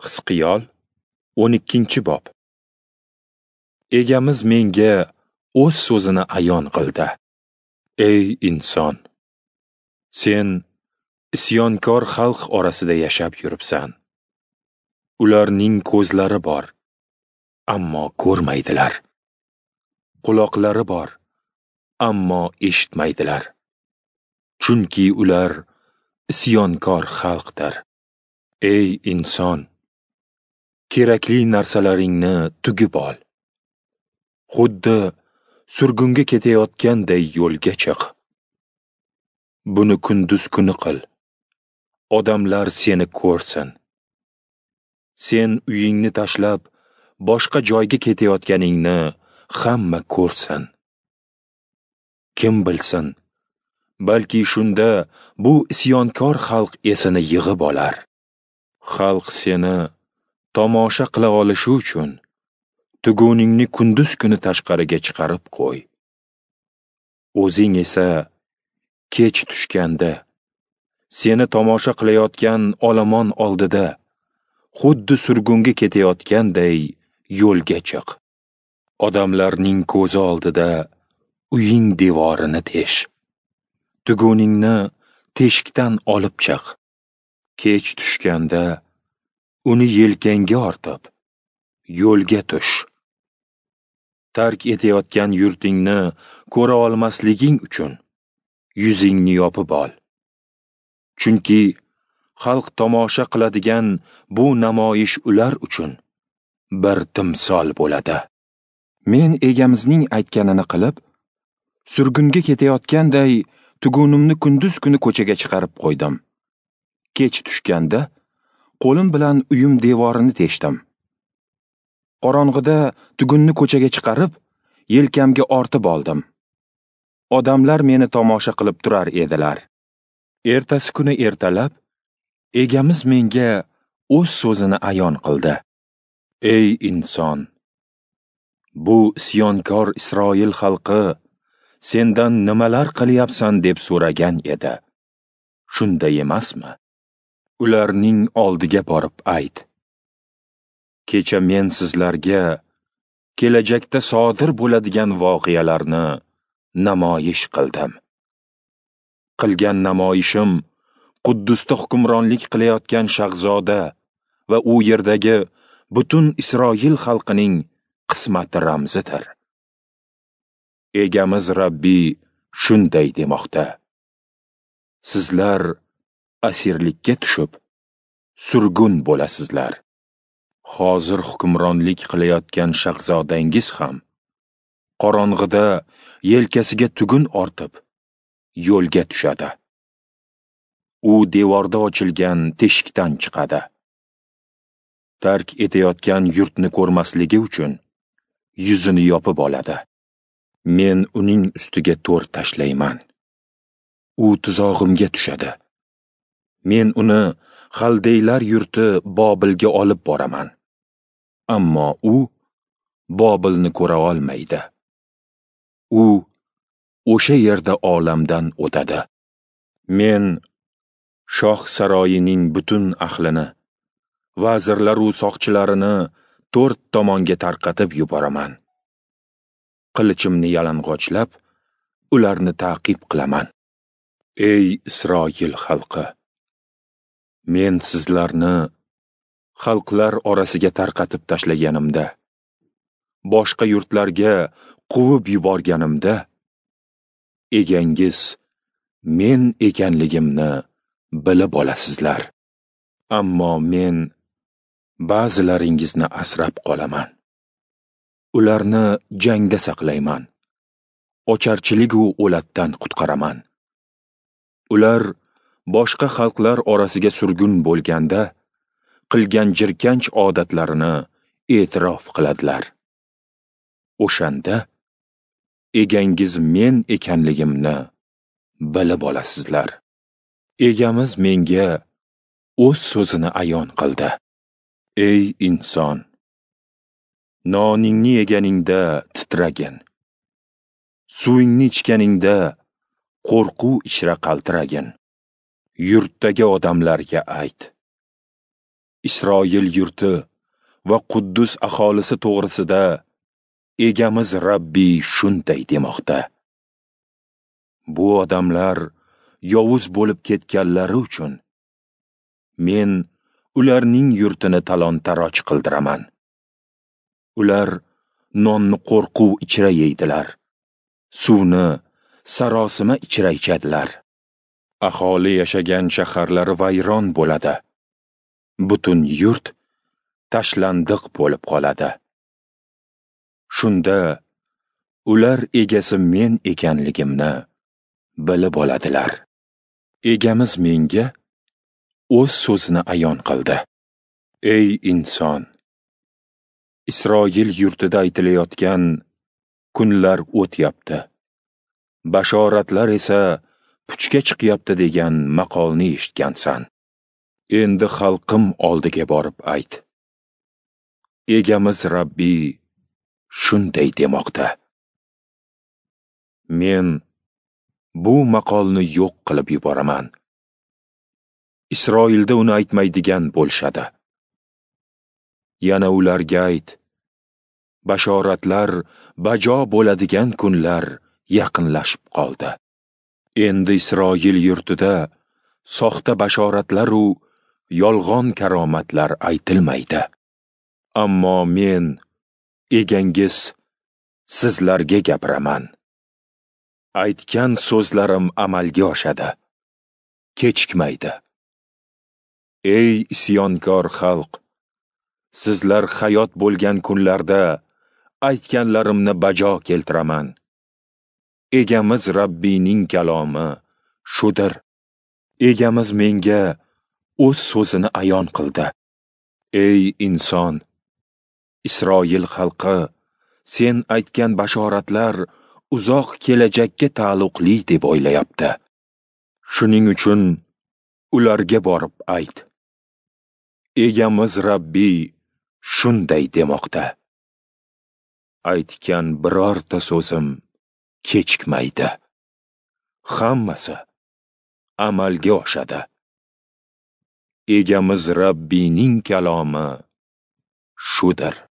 Hizqiyol 12-bob. Egamiz menga o'z so'zini ayon qildi. Ey inson, sen isyonkor xalq orasida yashab yuribsan. Ularning ko'zlari bor, ammo ko'rmaydilar. Quloqlari bor, ammo eshitmaydilar. Chunki ular isyonkor xalqdir. Ey inson, kerakli narsalaringni tugib ol. Xuddi surgunga ketayotganday yo'lga chiq. Buni kunduz kuni qil. Odamlar seni ko'rsin. Sen uyingni tashlab boshqa joyga ketayotganingni hamma ko'rsin. Kim bilsin, balki shunda bu isyonkor xalq esini yig'ib olar. Xalq seni tomosha qila olishi uchun tuguningni kunduz kuni tashqariga chiqarib qo'y. O'zing esa kech tushganda seni tomosha qilayotgan olomon oldida xuddi surgunga ketayotganday yo'lga chiq. Odamlarning ko'zi oldida uying devorini tesh. Tuguningni teshikdan olib chiq. Kech tushganda uni yelkangga ortib yo'lga tush. Tark etayotgan yurtingni ko'ra olmasliging uchun yuzingni yopib ol. Chunki xalq tomosha qiladigan bu namoyish ular uchun bir timsol bo'ladi. Men egamizning aytganini qilib, surgunga ketayotganday tugunimni kunduz kuni ko'chaga chiqarib qo'ydim. Kech tushganda qo'lim bilan uyim devorini teshdim. Qorong'ida tugunni ko'chaga chiqarib, yelkamga ortib oldim. Odamlar meni tomosha qilib turar edilar. Ertasi kuni ertalab egamiz menga o'z so'zini ayon qildi. Ey inson, bu isyonkor Isroil xalqi sendan nimalar qilyapsan deb so'ragan edi. Shunday emasmi? Ularning oldiga borib ayt. Kecha men sizlarga kelajakda sodir bo'ladigan voqealarni namoyish qildim. Qilgan namoyishim Quddusda hukmronlik qilayotgan shahzoda va u yerdagi butun Isroil xalqining qismati ramzidir. Egamiz Rabbiy shunday demoqda: Sizlar asirlikka tushib, surgun bo'lasizlar. Hozir hukmronlik qilayotgan shahzodangiz ham qorong'ida yelkasiga tugun ortib yo'lga tushadi. U devorda ochilgan teshikdan chiqadi. Tark etayotgan yurtni ko'rmasligi uchun yuzini yopib oladi. Men uning ustiga to'r tashlayman. U tuzog'imga tushadi. Men uni Xaldeylar yurti Bobilga olib boraman. Ammo u Bobilni ko'ra olmaydi. U o'sha yerda olamdan o'tadi. Men shoh saroyining butun ahlini, vazirlar u soqchilarini to'rt tomonga tarqatib yuboraman. Qilichimni yalang'ochlab, ularni ta'qib qilaman. Ey Isroil xalqi, men sizlarni xalqlar orasiga tarqatib tashlaganimda, boshqa yurtlarga quvib yuborganimda, egangiz men ekanligimni bilib olasizlar. Ammo men ba'zilaringizni asrab qolaman. Ularni jangda saqlayman. Ocharchilik u o'latdan qutqaraman. Ular boshqa xalqlar orasiga surgun bo'lganda qilgan jirkanch odatlarini e'tirof qiladilar. O'shanda egangiz men ekanligimni bilib olasizlar. Egamiz menga o'z so'zini ayon qildi. Ey inson, noningni yeganingda titragin. Suvingni ichganingda qo'rquv ichra qaltiragin. Yurtdagi odamlarga ayt. Isroil yurti va Quddus aholisi to'g'risida Egamiz Rabbiy shunday demoqda: Bu odamlar yovuz bo'lib ketganlari uchun men ularning yurtini talon-taroj qildiraman. Ular nonni qo'rquv ichra yeydilar, suvni sarosima ichra ichadilar. Aholi yashagan shaharlari vayron bo'ladi. Butun yurt tashlandiq bo'lib qoladi. Shunda ular egasi men ekanligimni bilib oladilar. Egamiz menga o'z so'zini ayon qildi. Ey inson, Isroil yurtida aytilayotgan kunlar o'tyapti, bashoratlar esa puchga chiqyapti degan maqolni eshitgansan. Endi xalqim oldiga borib ayt. Egamiz Rabbiy shunday demoqda: Men bu maqolni yo'q qilib yuboraman. Isroilda uni aytmaydigan bo'lishadi. Yana ularga ayt: bashoratlar bajo bo'ladigan kunlar yaqinlashib qoldi. Endi Isroil yurtida soxta bashoratlar u yolg'on karomatlar aytilmaydi. Ammo men, egangiz, sizlarga gapiraman. Aytgan so'zlarim amalga oshadi, kechikmaydi. Ey isyonkor xalq, sizlar hayot bo'lgan kunlarda aytganlarimni bajo keltiraman. Egamiz Rabbiyning kalomi shudir. Egamiz menga o'z so'zini ayon qildi. Ey inson, Isroil xalqi sen aytgan bashoratlar uzoq kelajakka taalluqli deb o'ylayapti. Shuning uchun ularga borib ayt: Egamiz Rabbiy shunday demoqda: Aytgan birorta so'zim kechikmaydi. Hammasi amalga oshadi. Egamiz Rabbiyning kalomi shudir.